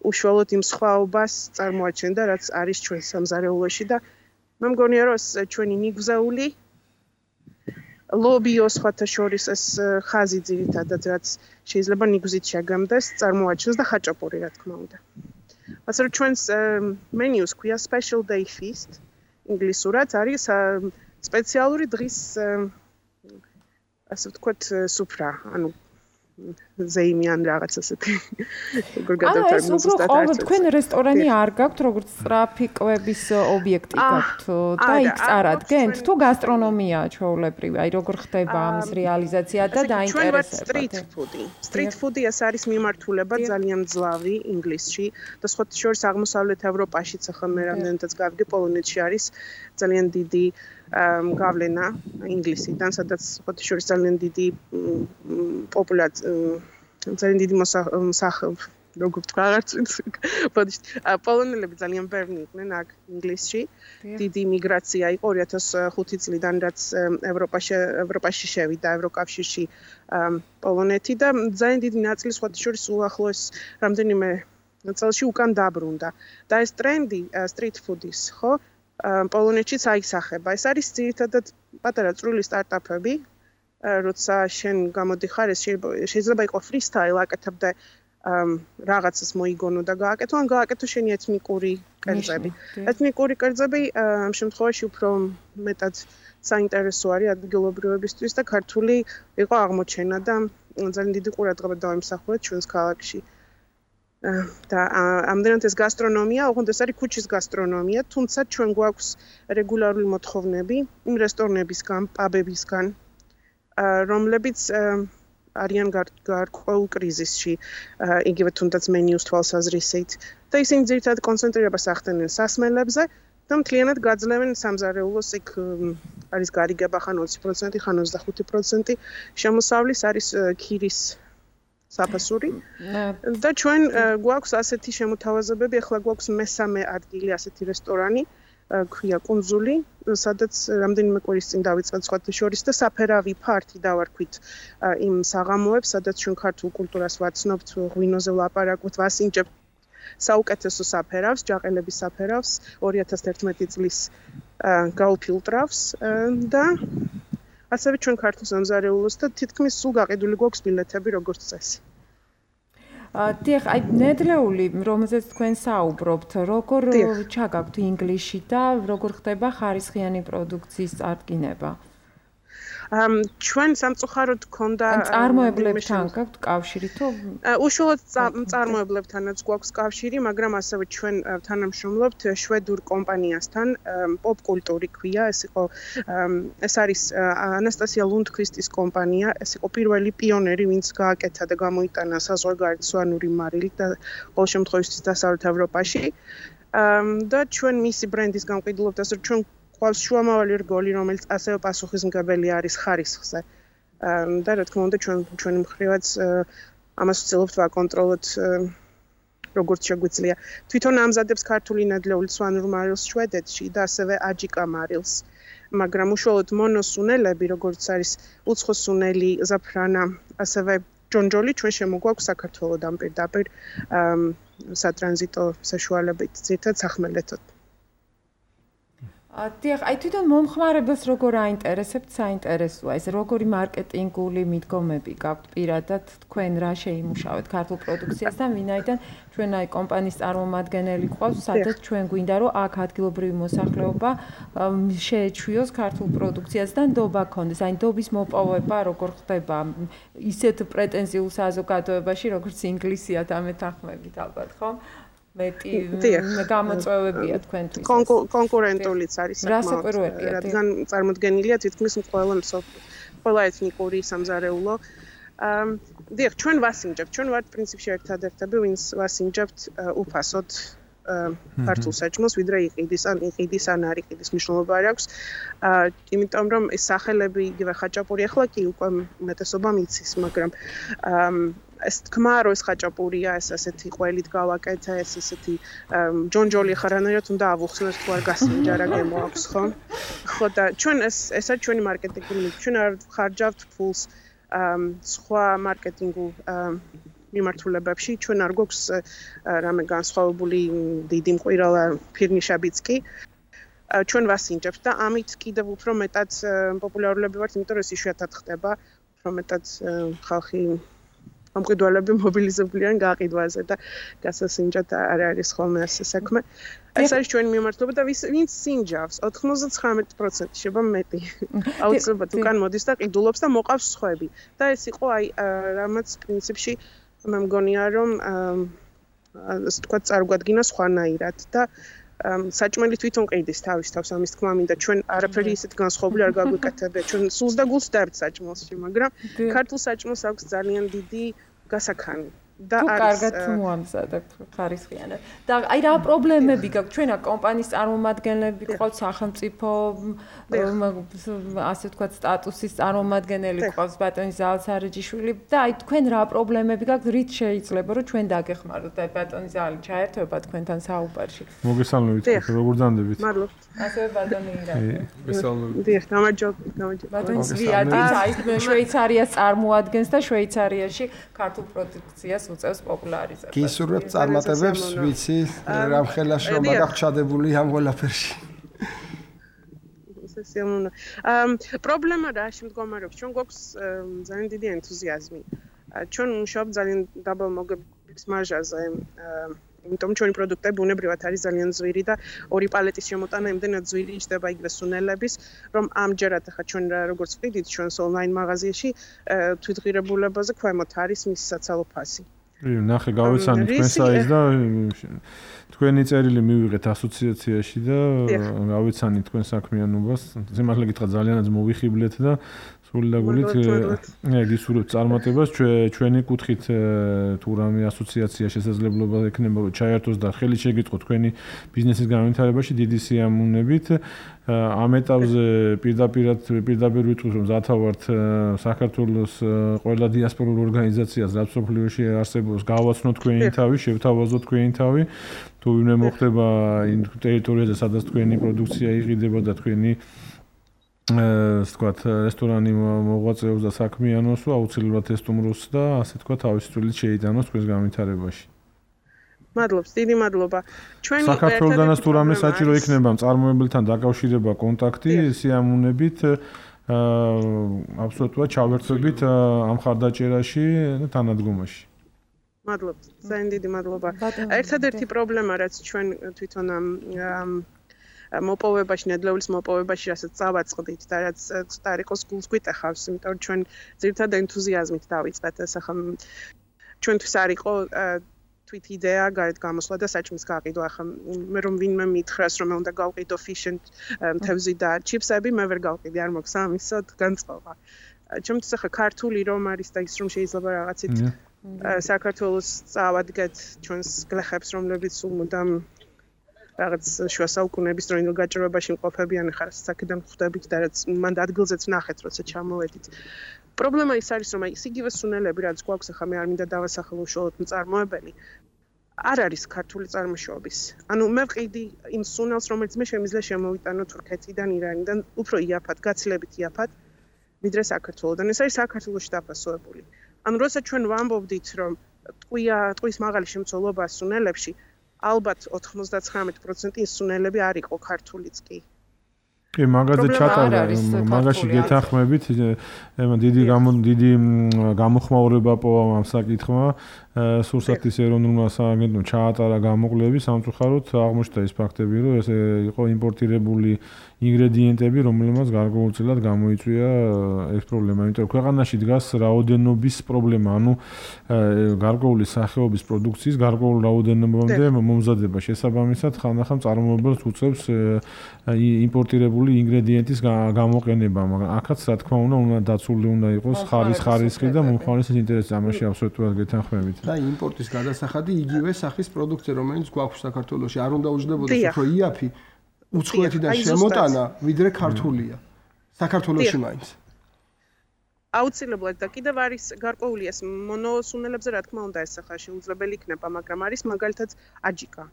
უშუალოდ იმ სხვაობას წარმოაჩენდა, რაც არის ჩვენ სამზარეულოში და მე მგონია რომ ჩვენი ნიგზაული ლობიო სხვათა შორის ეს ხაზი ძირითადად რაც შეიძლება ნიგზით შეგამდეს, წარმოაჩენს და ხაჭაპური რა თქმა უნდა. ასე რომ ჩვენს მენიუს ქვია special day feast ინგლისურად არის სპეციალური დღის ასე ვთქვათ სუფრა, ანუ ზეიმიან რაღაც ასეთი. როგორ გადავთარგმნო ზუსტად თქვენ რესტორანი არ გაქვთ, როგორც სწრაფი კვების ობიექტი გაქვთ და იქ წარადგენთ თუ გასტრონომია ჩვეულებრივი, აი როგორ ხდება ამის რეალიზაცია და დაინტერესება. Street food-ი ეს არის მიმართულება ძალიან ძლავრი ინგლისში და სხვათა შორის აღმოსავლეთ ევროპაშიც ახლა მე რამდენადაც გავიგე პოლონეთში არის ძალიან დიდი გავლენა ინგლისიდან, სადაც სხვათა შორის ძალიან დიდი პოპულაცია ძალიან დიდი როგორ ვთქვა, რაღაც პოლონელები ძალიან ბევრი იყვნენ აქ ინგლისში. დიდი მიგრაცია იყო 2005 წლიდან, რაც ევროპაში შევიდა ევროკავშირში პოლონეთი და ძალიან დიდი ნაწილი სხვათა შორის უახლოეს რამდენიმე წელში უკან დაბრუნდა. და ეს ტრენდი street food-ის, ხო? პოლონეთშიც აისახება. ეს არის ძირითადად პატარა წვრილი სტარტაპები, როცა შენ გამოდიხარ, ეს შეიძლება იყოს freestyle, აკეთებდე რაღაცას მოიგონო და გააკეთო, ან გააკეთო შენი ეთნიკური კერძები. ეთნიკური კერძები ამ შემთხვევაში უფრო მეტად საინტერესო არის ადგილობრივებისთვის და ქართული იყო აღმოჩენა და ძალიან დიდი ყურადღება დავიმსახურეთ ჩვენს ქალაქში. და ამდენად ეს გასტრონომია, ოღონდ ეს არის ქუჩის გასტრონომია, თუმცა ჩვენ გვაქვს რეგულარული მოთხოვნები იმ რესტორნებისგან, პაბებისგან, რომლებიც არიან გარკვეულ კრიზისში, იგივე თუნდაც მენიუს თვალსაზრისით და ისინი ძირითადად კონცენტრირებას ახდენენ სასმელებზე და მთლიანად გაძლევენ სამზარეულოს, იქ არის გარიგება ხან 20%, ხან 25% შემოსავლის, არის ქირის საფასური და ჩვენ გვაქვს ასეთი შემოთავაზებები, ახლა გვაქვს მესამე ადგილი ასეთი რესტორანი, ქვია კუნძული, სადაც რამდენიმე კვირის წინ დავიწყეთ სხვათა შორის და საფერავი ფართი დავარქვით იმ საღამოებს, სადაც ჩვენ ქართულ კულტურას ვაცნობთ, ღვინოზე ვლაპარაკობთ, ვასინჯებთ საუკეთესო საფერავს, ჯაყელების საფერავს 2011 წლის გაუფილტრავს და ასევე ჩვენ ქართულ სამზარეულოს და თითქმის სულ გაყიდული გვაქვს ბილეთები როგორც წესი. დიახ, აი ნედლეული, რომელზეც თქვენ საუბრობთ, როგორ ჩაგაქვთ ინგლისში და როგორ ხდება ხარისხიანი პროდუქციის წარდგინება? ჩვენ სამწუხაროდ გქონდა წარმოებლებთან გაქვთ კავშირი თუ უშუალოდ წარმოებლებთანაც გვაქვს კავშირი, მაგრამ ასევე ჩვენ თანამშრომლობთ შვედურ კომპანიასთან, პოპ კულტური ქვია, ეს არის ანასტასია ლუნდკვისტის კომპანია, ეს იყო პირველი პიონერი, ვინც გააკეთა და გამოიტანა საზღვარგარეთსვანური მარილი და ყოველ შემთხვევაში დასავლეთ ევროპაში. და ჩვენ მისი ბრენდის გამყიდულობთ, ასე რომ ჩვენ ყავს შუამავალი რგოლი, რომელიც ასევე პასუხისმგებელი არის ხარისხზე. და რა თქმა უნდა ჩვენი მხრივაც ამას ვცდილობთ ვაკონტროლოთ როგორც შეგვიძლია. თვითონ ამზადებს ქართული ნედლეული სვანურ მარილს შვედეთში და ასევე აჯიკა მარილს. მაგრამ უშუალოდ მონოსუნელები, როგორც არის უცხოსუნელი, ზაფრანა, ასევე ჯონჯოლი ჩვენ შემოგვაქვს საქართველოდან პირდაპირ სატრანზიტო საშუალებით, ძირითადად სახმელეთოდ. დიახ, აი თვითონ მომხმარებელს როგორ აინტერესებთ საინტერესოა ეს როგორი მარკეტინგული მიდგომები გაქვთ პირადად თქვენ რა შეიმუშავეთ ქართულ პროდუქციასთან, ვინაიდან ჩვენ აი კომპანიის წარმომადგენელი გვყავს, სადაც ჩვენ გვინდა რომ აქ ადგილობრივი მოსახლეობა შეეჩვიოს ქართულ პროდუქციას და ნდობა ქონდეს. აი ნდობის მოპოვება როგორ ხდება ისეთ პრეტენზიულ საზოგადოებაში, როგორც ინგლისია და მეთანხმებით ალბათ, ხო? მეტი გამოწვევებია თქვენთვის. კონკურენტულიც არის საკმაოდ, რადგან წარმოდგენილია თითქმის ყველა ეთნიკური სამზარეულო დიახ, ჩვენ ვასინჯებთ, ჩვენ ვართ პრინციპში ერთადერთები, ვინც ვასინჯებთ უფასოდ ქართულ საჭმელს, ვიდრე იყიდის ან არ იყიდის მნიშვნელობა არ აქვს. იმიტომ რომ ეს სახელები იგივე ხაჭაპური ახლა კი უკვე უმეტესობამ იცის, მაგრამ ეს თქმა რომ ეს ხაჭაპურია, ეს ასეთი ყველით გავაკეთე, ეს ასეთი ჯონჯოლი ხარანაირად უნდა ავუხსნათ თუ არ გასინჯა რა გემოაქვს, ხო? ხო და ჩვენ ეს არის ჩვენი მარკეტინგული ნიჭი. ჩვენ არ ხარჯავთ ფულს სხვა მარკეტინგულ მიმართულებებში. ჩვენ არ გვაქვს რამე განსხვავებული დიდი მყირალა ფირნიშებიც კი. ჩვენ ვასინჯებთ და ამით კიდევ უფრო მეტად პოპულარულები ვართ, იმიტომ რომ ეს იშვიათად ხდება, უფრო მეტად ხალხი ამყიდვალები მობილიზებულია გაყიდვაზე და გასასინჯად არ არის ხოლმე ასე საქმე. ეს არის ჩვენი მიმართულება და ვინც სინჯავს 99% შეება მეტი. აუცილებლად უკან მოდის და ყიდულობს და მოყავს სხვები. და ეს იყო აი რამაც პრინციპში მე მგონია რომ ასე თქვა წარგვადგინა სხვანაირად და საჭმელი თვითონ ყიდის თავის თავს ამის თქმა მინდა ჩვენ არაფერი ისეთ განსხვავებული არ გაგვიკეთებია ჩვენ სულს და გულს დავთ საჭმელში მაგრამ ქართულ საჭმელს აქვს ძალიან დიდი გასაქანი და არის კარგად თუ მოამზადებ ხარისხიანად და აი რა პრობლემები გაქვს ჩვენა კომპანიის წარმომადგენლები ყავს სახელმწიფო ასე თქვა სტატუსის წარმომადგენელი ყავს ბატონი ზალცარეჯიშვილი და აი თქვენ რა პრობლემები გაქვს რით შეიძლება რომ ჩვენ დაგეხმაროთ და ბატონი ზალი ჩაერთვება თქვენთან საუბარში მოგესალმებით როგორ დამდებით მადლობთ ასევე ბატონი ირაკლი მოგესალმებით დიახ გამარჯობა ბატონი ზვიადით აი შვეიცარიას წარმოადგენს და შვეიცარიაში ქართულ პროდუქციას უწევს პოპულარიზებას. გისურვებთ წარმატებებს, ვიცი, რამხელა შრომა გაჩადებული ამ ყველაფერში. პრობლემა რა შემდგომარეობს? ჩვენ გვაქვს ძალიან დიდი ენთუზიაზმი. ჩვენ მუშაობთ ძალიან დაბალ მოგების მარჟაზე. იმიტომ ჩვენი პროდუქტები ბუნებრივად არის ძალიან ძვირი და ორი პალეტის შემოტანა იმდენად ძვირი იჭდება იგივე სუნელების, რომ ამჯერად ახლა ჩვენ როგორც ვყიდით ჩვენს ონლაინ მაღაზიაში თვითღირებულებაზე ქვემოთ არის მის საცალო ფასი. ნახე გავეცანით თქვენ საიტს და თქვენი წერილი მივიღეთ ასოციაციაში და გავეცანით თქვენ საქმიანობას. ზემართლა გითხრა ძალიანაც მოვიხიბლეთ და სული და გულით გისურვებთ წარმატებას. ჩვენი კუთხით თუ რამე ასოციაცია შესაძლებლობა ექნება რომ ჩაერთოს და ხელი შეგიტყოთ თქვენი ბიზნესის განვითარებაში დიდი სიამოვნებით. ამ ეტაპზე პირდაპირ ვიტყვით რომ ზათავართ საქართველოს ყველა დიასპორულ ორგანიზაციას რაც სოფლიოში არსებობს გავაცნოთ თქვენი თავი, შევთავაზოთ თქვენი თავი. თუ ვინმე მოხდება იმ ტერიტორიაზე სადაც თქვენი პროდუქცია იყიდება და თქვენი ასე ვთქვათ რესტორანი მოღვაწეობს და საქმიანობს, აუცილებლად ესტუმროს და ასე ვთქვათ თავისი წვლილი შეიტანოს თქვენს განვითარებაში. მადლობს, დიდი მადლობა. ჩვენი საქართველოსდანაც თუ რამე საჭირო იქნება მწარმოებელთან დაკავშირება კონტაქტი, სიამოვნებით აბსოლუტურად ჩავერთვებით ამ ხარდაჭერაში და თანადგომაში. მადლობთ, ძალიან დიდი მადლობა. ერთადერთი პრობლემა რაც ჩვენ თვითონ მოპოვებაში, ნედლეულის მოპოვებაში, რასაც წავაწყდით და რაც სტარიკოს გულს გვიტეხავს, იმიტომ რომ ჩვენ ძირითადად ენთუზიაზმით დავიწყეთ ეს ახლა ჩვენთვის არ იყო თვით იდეა გარეთ გამოსვლა და საჭმის გაყიდვა. ახლა მე რომ ვინმე მითხრას რომ მე უნდა გავყიდო ფიშენ თევზი და ჩიფსები, მე ვერ გავყიდი, არ მოქვს ამისოდ განწყობა. ჩემთვის ახლა ქართული რომ არის და ის რომ შეიძლება რაღაცით საქართველოს წავადგეთ ჩვენს გლეხებს, რომლებიც უმუდამ რაღაც შუა საუკუნეების დროინდელ გაჭირვებაში მყოფებიან, ახლა საკიდან ხვდებით და რაც მანდ ადგილზეც ნახეთ, როცა ჩამოვედით. პრობლემა ის არის, რომ აი ეს იგივე სუნელები, რაც გვაქვს, ახლა მე არ მინდა დავასახელო უშუალოდ მწარმოებელი, არ არის ქართული წარმოშობის. ანუ მე ვყიდი იმ სუნელს, რომელიც მე შემიძლია შემოვიტანო თურქეთიდან, ირანიდან, უფრო იაფად, გაცილებით იაფად, ვიდრე საქართველოდან. ეს არის საქართველოში დაფასოებული. ანუ როცა ჩვენ ვამბობდით, რომ ტყვის მაღალი შემცველობა სუნელებში, ალბათ 99% ის სუნელები არ იყო ქართულიც კი. კი, მაგაზე ჩატარდა, მაგაში გეთანხმებით, დიდი გამოხმაურება პოვა ამ საკითხმა. სურსათის ეროვნულმა სააგენტომ ჩაატარა გამოკვლევი, სამწუხაროდ აღმოჩნდა ის ფაქტები, რომ ეს იყო იმპორტირებული ინგრედიენტები, რომელმაც გარკვეულწილად გამოიწვია ეს პრობლემა. იმიტომ რომ ქვეყანაში დგას რაოდენობის პრობლემა, ანუ გარკვეული სახეობის პროდუქციის გარკვეულ რაოდენობამდე მომზადება. შესაბამისად, ხანდახან წარმოებელს უწევს იმპორტირებული ინგრედიენტის გამოყენება, მაგრამ აქაც რა თქმა უნდა დაცული უნდა იყოს ხარისხი და მომხმარებლის ინტერესი ამაში აბსოლუტურად გეთანხმებით. და იმპორტის გადასახადი იგივე სახის პროდუქცია, რომელიც გვაქვს საქართველოში, არ უნდა უჯდებოდეს უფრო იაფი უცხოეთიდან შემოტანა, ვიდრე ქართულია. საქართველოში მაინც. აუცილებლად და კიდევ არის გარკვეული ეს მონოსუნელებზე რა თქმა უნდა ეს ახლა შეუძლებელი იქნება, მაგრამ არის მაგალითად აჯიკა.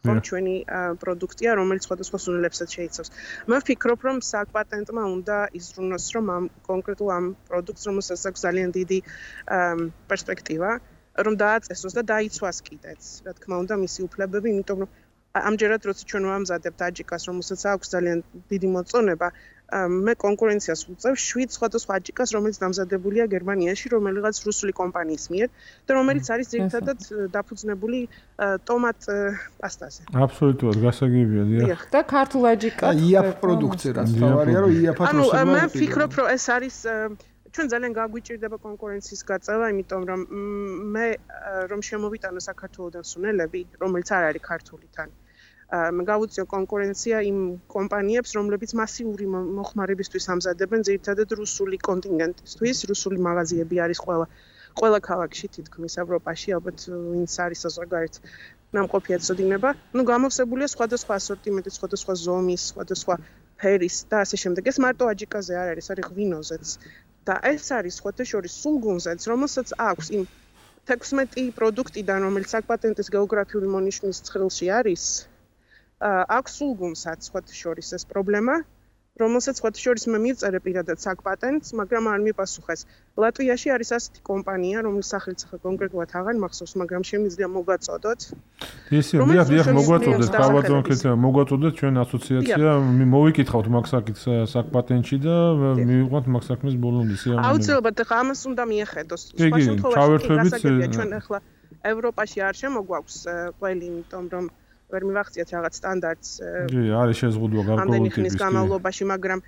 ხომ ჩვენი პროდუქტია, რომელიც სხვადასხვა სუნელებსაც შეიცავს. მე ვფიქრობ, რომ საკპატენტმა უნდა იზრუნოს, რომ ამ კონკრეტულ ამ პროდუქტს, რომელსაც აქვს ძალიან დიდი პერსპექტივა, რომ დააწესოს და დაიცვას კიდეც, რა თქმა უნდა, მისი უფლებები, იმიტომ რომ ამჯერად როცა ჩვენ ვამზადებთ აჯიკას, რომელსაც აქვს ძალიან დიდი მოწონება, მე კონკურენციას ვუწევ 7 სხვადასხვა აჯიკას, რომელიც დამზადებულია გერმანიაში, რომელიღაც რუსული კომპანიის მიერ და რომელიც არის ძირითადად დაფუძნებული ტომატ პასტაზე. აბსოლუტურად გასაგებია, დიახ. და ქართულ აჯიკას იაფ პროდუქცია, რაც თავარია, რომ იაფად მოსება. ანუ მე ვფიქრობ, რომ ეს არის ჩვენ ძალიან გაგვიჭირდება კონკურენციის გაწევა, იმიტომ რომ მე რომ შემოვიტანო საქართველოდან სუნელები, რომელიც არ არის ქართული თან. მე გავუწიო კონკურენცია იმ კომპანიებს, რომლებიც მასიური მოხმარებისთვის ამზადებენ ძირითადად რუსული კონტინენტისთვის, რუსული მაღაზიები არის ყველა ქალაქში თითქმის ევროპაში, ალბათ ვინც არის საზღვარგარეთ ნამყოფი ეცოდინება. ნუ გამოვსებულია სხვადასხვა ასორტიმენტი, სხვადასხვა ზომის, სხვადასხვა ფერის და ასე შემდეგ. ეს მარტო აჯიკაზე არ არის, არის ღვინოზეც. და ეს არის სხვათა შორის სულგუნზეც, რომელსაც აქვს იმ 16 პროდუქტიდან, რომელიც საკპატენტის გეოგრაფიული მონიშნის ცხრილში არის, აქვს სულგუნსაც სხვათა შორის ეს პრობლემა, რომელსაც სხვათა შორის მე მივწერე პირადად საკპატენტს, მაგრამ არ მიპასუხეს. ლატვიაში არის ასეთი კომპანია, რომლის სახელიც ახლა კონკრეტულად აღარ მახსოვს, მაგრამ შემიძლია მოგაწოდოთ. ისე, დიახ, მოგვაწოდეთ, თავადონკეთ, მოგვაწოდეთ ჩვენ ასოციაცია, მოვიკითხავთ მაგ საკპატენტში და მივიყვანთ მაგ საქმეს ბოლომდე სიამოვნებით. აუცილებლად ახლა ამას უნდა მიეხედოს. სხვა შემთხვევაში ჩვენ ახლა ევროპაში არ შემოგვაქვს ყველი, იმიტომ რომ ვერ მივახციათ რაღაც სტანდარტს. არის შეზღუდვა გარკვეული ტიპის განმავლობაში, მაგრამ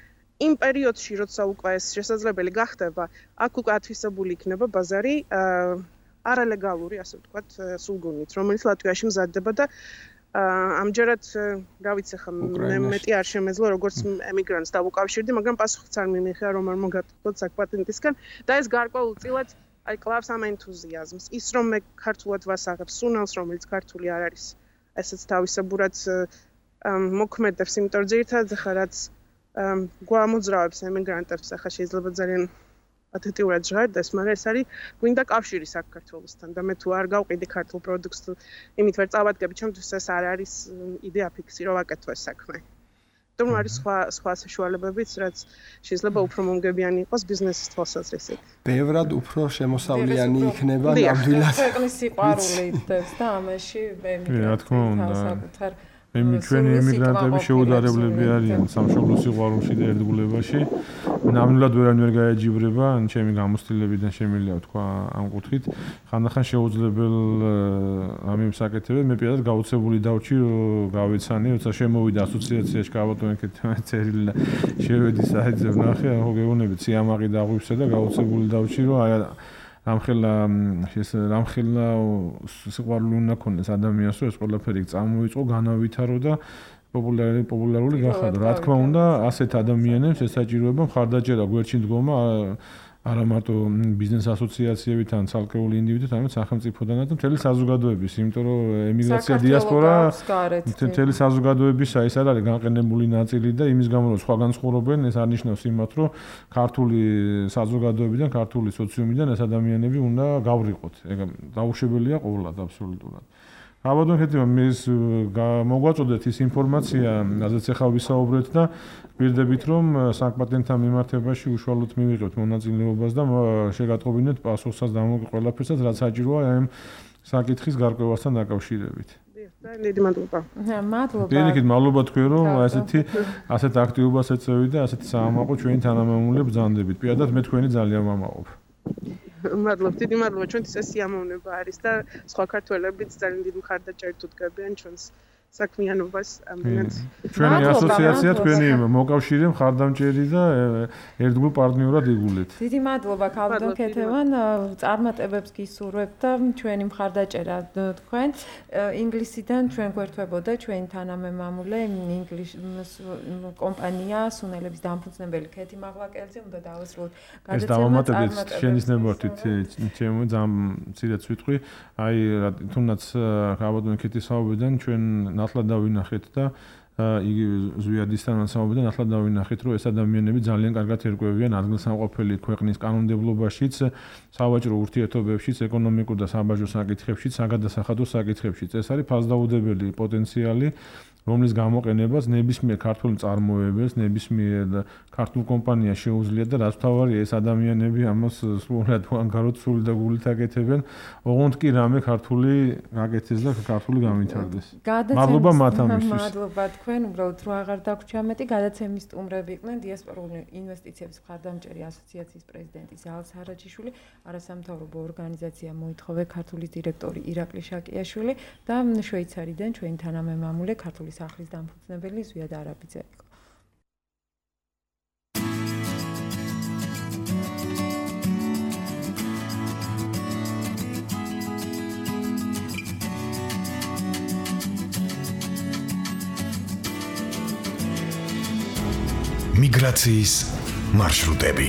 იმ პერიოდში, როცა უკვე ეს შესაძლებელი გახდება, აქ უკვე ათვისებული იქნება ბაზარი არალეგალური, ასე ვთქვათ, სულგუნით, რომელიც ლატვიაში მზადდება და ამჯერად რა ვიცი ხა მეტი არ შემეძლო როგორც ემიგრანტს დავუკავშირდი, მაგრამ პასუხიც არ მიმიღია რომ არ მოგატყოთ საკპატენტისგან და ეს გარკვეულწილად აი კლავს ამ ენთუზიაზმს. ის რომ მე ქართულად ვასაღებ სუნელს, რომელიც ქართული არ არის, ესეც თავისებურად მოქმედებს, იმიტომ რომ ძირითადად ხა რაც გვამოძრავებს ემიგრანტებს, ახლა შეიძლება ძალიან ათეტიურად ჟღერდეს, მაგრამ ეს არის გვინდა კავშირი საქართველოსთან და მე თუ არ გავყიდი ქართულ პროდუქტს, იმით ვერ წავადგები, ჩემთვის ეს არ არის იდეა ფიქსი, რომ ვაკეთო ეს საქმე. თუმცა არის სხვა საშუალებებიც, რაც შეიძლება უფრო მომგებიანი იყოს ბიზნესის თვალსაზრისით. ბევრად უფრო შემოსავლიანი იქნება ნამდვილად. ქვეყნის სიყვარული იდებს და ამაში საკუთარ ჩვენი ემიგრანტები შეუდარებლები არიან სამშობლო სიყვარულში და ერთგულებაში. ნამდვილად ვერანი ვერ გაეჯიბრება, ჩემი გამოცდილებიდან შემიძლია ვთქვა ამ კუთხით. ხანდახან შეუძლებელ ამ საკეთებს მე პირადად გაუცებული დავჭი, გავეცანი, როცა შემოვიდა ასოციაციაში კაბატონკეთ წერილი და შევედი საიტზე ვნახე, ახო გეუბნებით სიამაყი დაღვივსა და გაუცებული დავჭი, რომ აი რამხელა სიყვარული უნდა ქონდეს ადამიანს, რომ ეს ყველაფერი წამოიწყო, განავითარო და პოპულარული გახადო. რა თქმა უნდა, ასეთ ადამიანებს ესაჭიროება მხარდაჭერა გვერდში დგომა არა მარტო ბიზნეს ასოციაციებით ან ცალკეული ინდივიდით, არამედ სახელმწიფოდანაც და მთელი საზოგადოების, იმიტომ რომ ემიგრაცია დიასპორა მთელი საზოგადოებისა ეს არის განყენებული ნაწილი და იმის გამო რომ სხვაგან ცხოვრობენ, ეს არნიშნავს იმათ, რომ ქართული საზოგადოებიდან, ქართული სოციუმიდან ეს ადამიანები უნდა გავრიყოთ. ეგ დაუშვებელია ყოველად აბსოლუტურად. აბადონკეთ მის მოგვაწოდეთ ის ინფორმაცია, რაზეც ახლა ვისაუბრეთ და გვირდებით რომ საკპატენტთან მიმართებაში უშუალოდ მივიღებთ მონაწილეობას და შეგატყობინეთ პასუხსაც და ყველაფერსაც რაც საჭიროა ამ საკითხის გარკვევასთან დაკავშირებით. დიდი მადლობა. მადლობა. დიდი მადლობა თქვენ რომ ასეთ აქტივობას ეწევით და ასეთ საამაყო ჩვენი თანამემამულებს ბრძანდებით. პირადად მე თქვენი ძალიან ვამაყობ. მადლობა, დიდი მადლობა, ჩვენთვის ეს სიამოვნება არის და სხვა ქართველებიც ძალიან დიდი მხარდაჭერით უდგებიან ჩვენს საქმიანობას ამდენად. ჩვენი ასოციაცია თქვენი მოკავშირე მხარდამჭერი და ერთგულ პარტნიორად იგულეთ. დიდი მადლობა ქალბატონ ქეთევან, წარმატებებს გისურვებთ და ჩვენი მხარდაჭერა თქვენ ინგლისიდან ჩვენ გვერდებოდა ჩვენი თანამემამულე ინგლისის კომპანია სუნელების დამფუძნებელი ქეთი მაღლაკელიძე უნდა დავასრულოთ ეს დავამატებით შენის ნებართვით ჩემო ძალიან მცირეც ვიტყვი აი თუნდაც ქალბატონ ქეთის საუბრიდან ჩვენ ნათლად დავინახეთ და იგი ზვიადისთან მასაუბრიდან ნათლად დავინახეთ რომ ეს ადამიანები ძალიან კარგად ერკვევიან ადგილსამყოფელი ქვეყნის კანონმდებლობაშიც სავაჭრო ურთიერთობებშიც ეკონომიკურ და საბაჟო საკითხებშიც საგადასახადო საკითხებშიც ეს არის ფასდაუდებელი პოტენციალი რომლის გამოყენებას ნებისმიერ ქართულ მწარმოებელს, ნებისმიერ ქართულ კომპანიას შეუძლია და რაც თავარია ეს ადამიანები ამას სულად უანგაროდ სული და გულით აკეთებენ, ოღონდ კი რამე ქართული აკეთეს და ქართული გამვითარდეს. მადლობა მათ ამისთვის. მადლობა თქვენ, უბრალოდ რო აღარ დაგვრჩა მეტი, გადაცემის სტუმრები იყვნენ დიასპორული ინვესტიციების მხარდამჭერი ასოციაციის პრეზიდენტი ზაალ სარაჯიშვილი, არასამთავრობო ორგანიზაცია მოითხოვე ქართულის დირექტორი ირაკლი შაკიაშვილი და შვეიცარიდან ჩვენი თანამემამულე ქართული სახლის დამფუძნებელი ზვიად არაბიძე იყო. მიგრაციის მარშრუტები